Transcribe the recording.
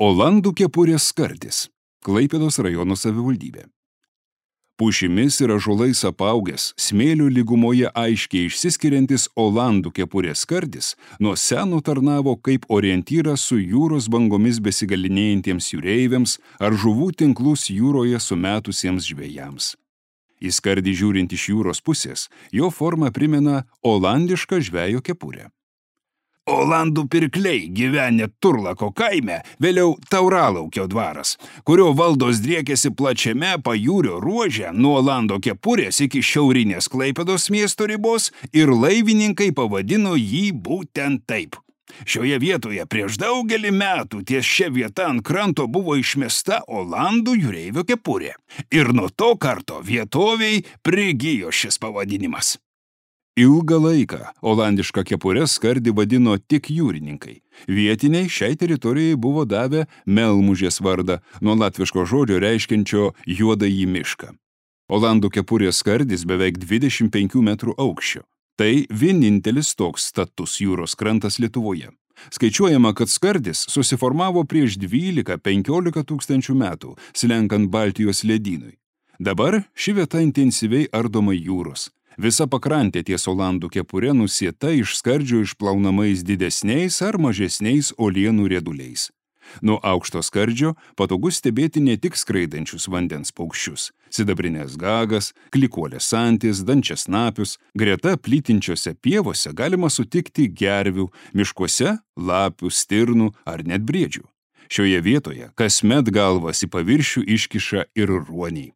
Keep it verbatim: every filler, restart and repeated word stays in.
Olandų kepurės skardis. Klaipėdos rajono savivaldybė. Pušimis ir ąžuolais apaugęs, smėlio lygumoje aiškiai išsiskiriantis olandų kepurės skardis nuo seno tarnavo kaip orientyras su jūros bangomis besigalinėjantiems jūreiviams ar žuvų tinklus jūroje sumetusiems žvejams. Į skardį žiūrint iš jūros pusės, jo forma primena olandišką žvejo kepurę. Olandų pirkliai gyvenę Turlako kaime, vėliau Tauralaukio dvaras, kurio valdos driekėsi plačiame pajūrio ruože nuo Olando kepurės iki šiaurinės Klaipėdos miesto ribos ir laivininkai pavadino jį būtent taip. Šioje vietoje prieš daugelį metų ties šia vieta ant kranto buvo išmesta Olandų jūreivio kepurė ir nuo to karto vietoviai prigijo šis pavadinimas. Ilgą laiką olandišką kepurę skardį vadino tik jūrininkai. Vietiniai šiai teritorijai buvo davę Melmužės vardą, nuo latviško žodžio reiškiančio juodąjį mišką. Olandų kepurės skardis beveik dvidešimt penkių metrų aukščio. Tai vienintelis toks status jūros krantas Lietuvoje. Skaičiuojama, kad skardis susiformavo prieš dvylika penkiolika tūkstančių metų, slenkant Baltijos ledynui. Dabar ši vieta intensyviai ardoma jūros. Visa pakrantė ties Olandų kepurė nusieta iš skardžio išplaunamais didesniais ar mažesniais uolienų rieduliais. Nuo aukšto skardžio patogu stebėti ne tik skraidančius vandens paukščius, sidabrinės gagas, klikuolės antis, dančiasnapius, greta plytinčiose pievose galima sutikti gervių, miškuose lapių, stirnų ar net briedžių. Šioje vietoje kasmet galvas į paviršių iškiša ir ruoniai.